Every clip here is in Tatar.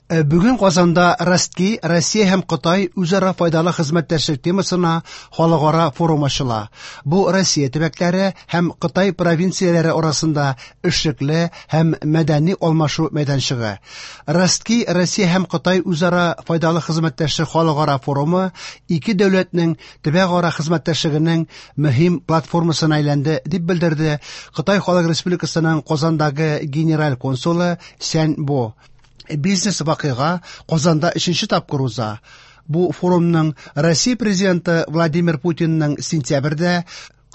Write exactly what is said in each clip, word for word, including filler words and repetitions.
Бүген Казанда Ростки, Россия һәм Кытай үзара файдалы хезмәттәшлек темасына халыкара форум ачыла. Бу Россия төбәкләре һәм Кытай провинцияләре арасында эшлекле һәм мәдәни алмашу мәйданчыгы. Ростки, Россия һәм Кытай үзара файдалы хезмәттәшлек халыкара форумы ике дәүләтнең төбәкара хезмәттәшлегенең мөһим платформасына әйләнде, дип белдерде Кытай Халык Республикасының Казандагы генераль консулы Сянь Бо. Бизнес вакыйга Казанда өченче тапкыр уза. Бу форумның Россия президенты Владимир Путинның сентябрьдә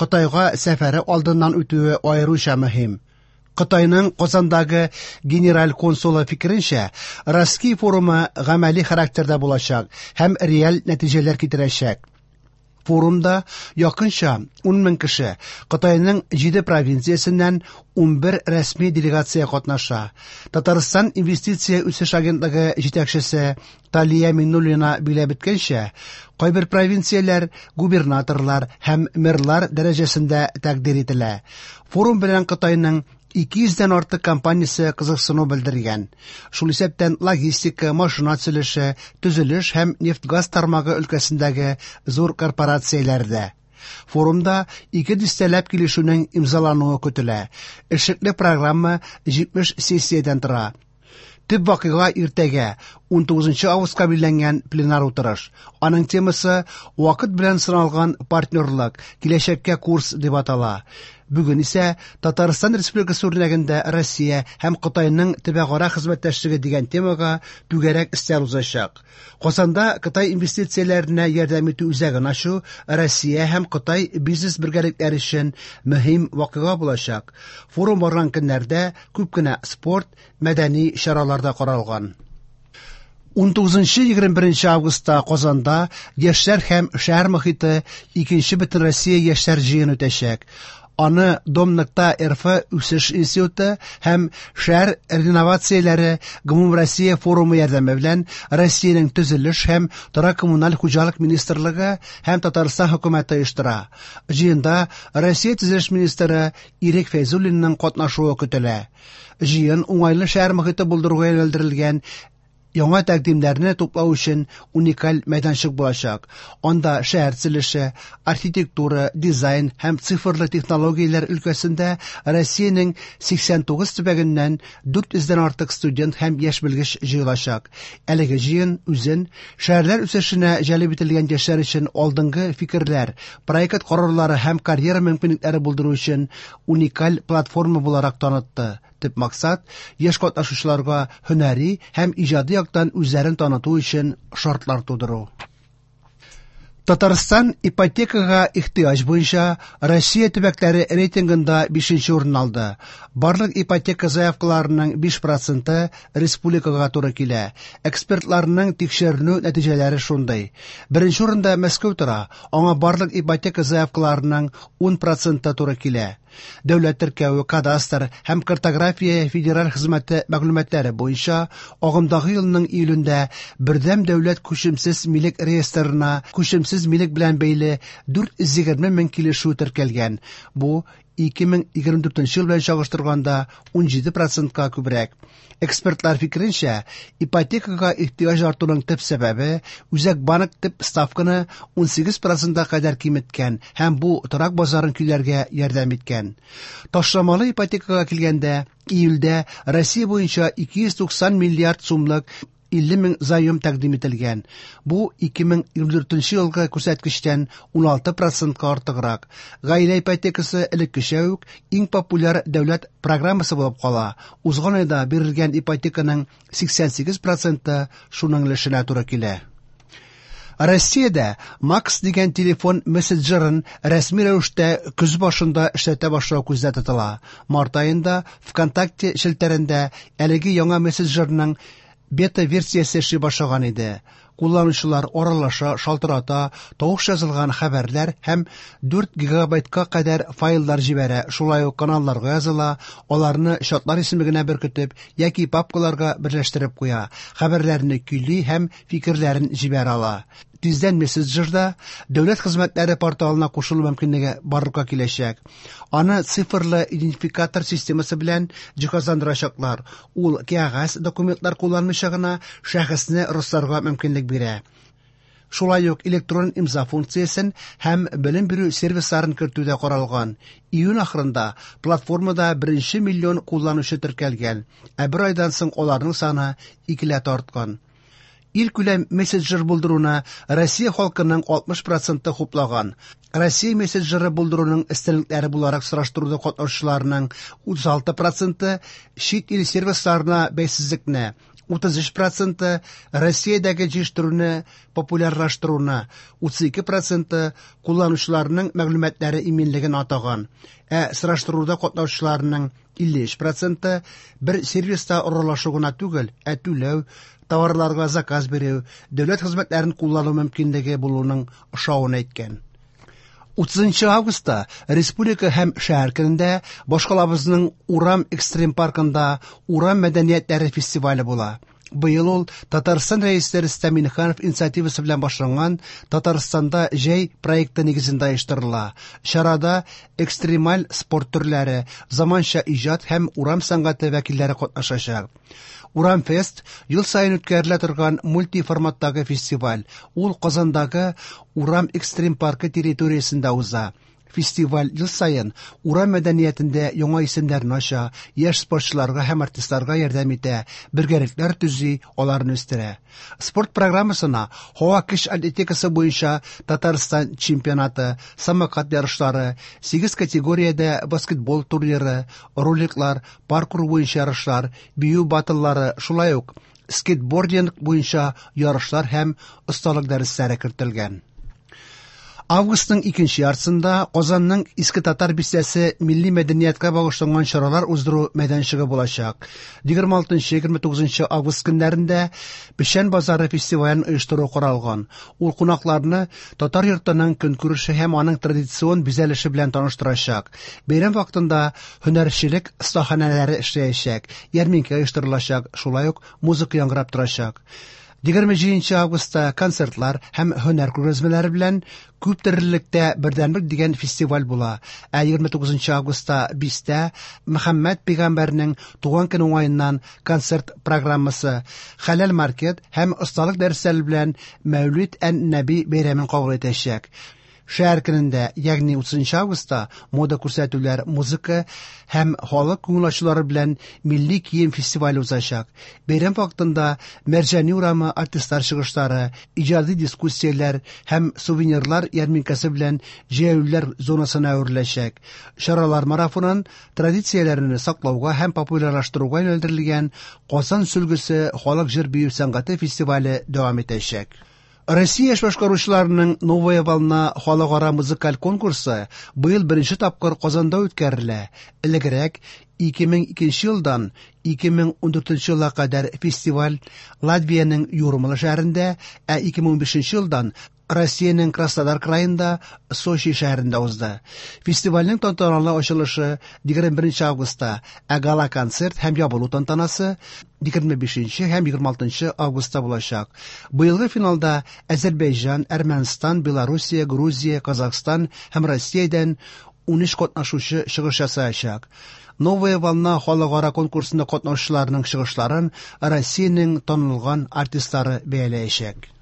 Кытайга сәфәре алдыннан үтүе аеруча мөһим. Кытайның Казандагы генераль консулы фикеренчә, Ростки форумы гамәли характерда булачак һәм реаль нәтиҗәләр китерәчәк. Форумда якынча ун мең кеше Кытайның җиде провинциясеннән ун бер рәсми делегация катнаша. Татарстан инвестиция үсеш агентлыгы җитәкчесе Талия Миннуллина билгеләп үткәнчә, кайбер провинцияләр губернаторлар һәм мэрлар дәрәҗәсендә тәкъдир ителә. Форум белән Кытайның ике йөздән артык компаниясе кызыксыну белдергән. Шул исәптән логистика, машина төзелеше, төзелеш һәм нефть-газ тармагы өлкәсендәге зур корпорацияләр дә. Форумда ике дистәләп килешүнең имзалануы көтелә. Эшлекле программа җитмеш сессиядән тора. Төп вакыйга иртәгә, ун тугызынчы августка билгеләнгән пленар утырыш. Аның темасы «Вакыт белән сыналган партнерлык, киләчәккә курс» дип атала. Бүген исә Татарстан Республикасы үрнәгендә Россия һәм Кытайның төбәкара хезмәттәшлеге дигән темага түгәрәк өстәл узачак. Казанда Кытай инвестицияләренә ярдәм итү үзәген ачу Россия һәм Кытай бизнес бергәлекләре өчен мөһим вакыйга булачак. Форум барган көннәрдә күп кенә спорт, мәдәни чаралар да каралган. ун тугызынчы егерме беренче августта Казанда яшьләр һәм шәһәр мохите икенче Бөтенроссия яшьләр җыены үтәчәк. Аны Домныкта эр эф үсеш институты һәм шәһәр реновацияләре Гомумроссия форумы ярдәме белән Россиянең төзелеш һәм торак коммуналь хуҗалык министрлыгы һәм Татарстан хөкүмәте оештыра. Җыенда Россия төзелеш министры Ирек Фәйзуллинның катнашуы көтелә. Җыен уңайлы шәһәр мохите булдыруга юнәлдерелгән яңа тәкъдимнәрне туплау өчен уникаль мәйданчык булачак. Анда шәһәр төзелеше, архитектура, дизайн һәм цифрлы технологияләр өлкәсендә Россиянең сиксән тугыз төбәгеннән дүрт йөздән артык студент һәм яшь белгеч җыелачак. Әлеге җыен үзен шәһәрләр үсешенә җәлеп ителгән яшьләр өчен алдынгы фикерләр, проект карарлары һәм карьера мөмкинлекләре булдыру өчен уникаль платформа буларак танытты. Төп максат яшь катнашучыларга һөнәри һәм иҗади яктан үзләрен таныту өчен шартлар тудыру. Татарстан ипотекага ихтыяҗ буенча Россия төбәкләре рейтингында бишенче урын алды. Барлык ипотека заявкаларының биш проценты республикага туры килә. Экспертларның тикшеренү нәтиҗәләре шундый. Беренче урында Мәскәү тора, аңа барлык ипотека заявкаларының ун проценты туры килә. Дәүләт теркәве, кадастр һәм картография федераль хезмәте мәгълүматлары буенча агымдагы елның июлендә бердәм дәүләт күчемсез милек реестрына күчемсез милек белән бәйле дүрт йөз егерме мең килешү теркәлгән. Бу ике мең егерме дүртенче ел белән чагыштырганда ун җиде процентка күбрәк. Экспертлар фикеренчә, ипотекага ихтыяҗ артуның төп сәбәбе Үзәк банк төп ставканы ун сигез процентка кадәр киметкән һәм бу торак базарын көйләргә ярдәм иткән. Ташламалы ипотекага килгәндә, июльдә Россия буенча ике йөз туксан миллиард сумлык илле мең заем тәкъдим ителгән. Бу ике мең егерме дүртенче елгы күрсәткечтән ун алты процентка артыграк. Гаилә ипотекасы элеккечә үк иң популяр дәүләт программасы булып кала. Узган айда бирелгән ипотеканың сиксән сигез проценты шуның өлешенә туры килә. Россиядә Макс дигән телефон мессенджерын рәсми рәвештә көз башында эшләтә башлау күздә тотыла. Март аенда ВКонтакте челтәрендә әлеге яңа мессенджерның бета-версиясе эшли башлаган иде. Кулланучылар аралаша, шалтырата, тавыш язылган хәбәрләр һәм дүрт гигабайтка кадәр файллар җибәрә, шулай ук каналларга языла, аларны чатлар исемлегенә беркетеп яки папкаларга берләштереп куя, хәбәрләрне көйли һәм фикерләрен җибәрә ала. Тиздән мессенджерда дәүләт хезмәтләре порталына кушылу мөмкинлеге барлыкка киләчәк. Аны цифрлы идентификатор системасы белән җиһазландырачаклар. Ул кәгазь документлар кулланмыйча гына шәхесне расларга мөмкинлек бирә. Шулай ук электрон имза функциясен һәм белем бирү сервисларын кертү дә каралган. Июнь ахырында платформада беренче миллион кулланучы теркәлгән, ә бер айдан соң аларның саны икеләтә арткан. Илкүләм мессенджер булдыруны Россия халкының алтмыш проценты хуплаган. Россия мессенджеры булдыруның өстенлекләре буларак сораштыруда катнашучыларның утыз алты проценты чит ил сервисларына бәйсезлекне, утыз өч проценты Россиядәге җитештерүне популярлаштыруны, утыз ике проценты кулланучыларның мәгълүматлары иминлеген атаган. Ә сораштыруда катнашучыларның илле өч проценты бер сервиста аралашу гына түгел, ә түләү, товарларга заказ бирү, дәүләт хезмәтләрен куллану мөмкинлеге булуның ошавын әйткән. Утызынчы августта Республика һәм шәһәр көнендә башкалабызның Урам экстрим паркында Урам мәдәниятләре фестивале була. Быел ул Татарстан Рәисе Рөстәм Миңнеханов инициативасы белән башланган Татарстанда җәй проекты нигезендә оештырыла. Чарада экстремаль спорт төрләре, заманча иҗат һәм урам сәнгате вәкилләре катнашачак. Урам фест ел саен үткәрелә торган мультиформаттагы фестиваль. Ул Казандагы Урам экстрим паркы территориясендә уза. Фестиваль ел саен урам мәдәниятендә яңа исемнәрне ача, яшь спортчыларга һәм артистларга ярдәм итә, бергәлекләр төзи, аларны үстерә. Спорт программасына һава көч атлетикасы буенча Татарстан чемпионаты, самокат ярышлары, сигез категориядә баскетбол турниры, роликлар, паркур буенча ярышлар, бию баттлары, шулай ук скейтбординг буенча ярышлар һәм осталык дәресләре кертелгән. Августның икенче яртысында Казанның Иске Татар бистәсе милли мәдәнияткә багышланган чаралар уздыру мәйданчыгы булачак. Егерме алтынчы, егерме тугызынчы август көннәрендә Печән базары фестивален оештыру каралган. Ул кунакларны татар йортының көнкүреше һәм аның традицион бизәлеше белән таныштырачак. Бәйрәм вакытында һөнәрчелек остаханәләре эшләячәк, ярминкә оештырылачак, шулай ук музыка яңгырап торачак. Егерме җиденче августта концертлар һәм һөнәр күргәзмәләре белән күп төрлелектә бердәмлек дигән фестиваль була. Ә егерме тугызынчы августта бистә Мөхәммәд пәйгамбәрнең туган көне уңаеннан концерт программасы, хәләл маркет һәм осталык дәресләре белән Мәүлид ән-Нәби бәйрәмен кабул итәчәк. Шәһәр көнендә, ягъни утызынчы августта мода күрсәтүләр, музыка һәм халык күңел ачулары белән милли кием фестивале узачак. Бәйрәм вакытында Мәрҗани урамы артистлар чыгышлары, иҗади дискуссияләр һәм сувенирлар ярминкәсе белән җәяүлеләр зонасына әвереләчәк. Чаралар марафонын традицияләрне саклауга һәм популярлаштыруга юнәлдерелгән Казан сөлгесе халык җыр бию сәнгате фестивале дәвам итәчәк. Россия яшь башкаручыларының Новая волна халыкара музыкаль конкурсы быел беренче тапкыр Казанда үткәрелә. Элегрәк ике мең икенче елдан ике мең ундүртенче елга кадәр фестиваль Латвиянең Юрмала шәһәрендә, ә ике мең унбишенче елдан Россиянең Краснодар краенда Сочи шәһәрендә узды. Фестивальнең тантаналы ачылышы егерме беренче августта, ә гала-концерт һәм ябылу тантанасы егерме бишенче һәм егерме алтынчы августта булачак. Быелгы финалда Азербайҗан, Әрмәнстан, Белоруссия, Грузия, Казахстан һәм Россиядән унөч катнашучы чыгыш ясаячак. Новая волна халыкара конкурсында катнашучыларның чыгышларын Россиянең танылган артистлары бәяләячәк.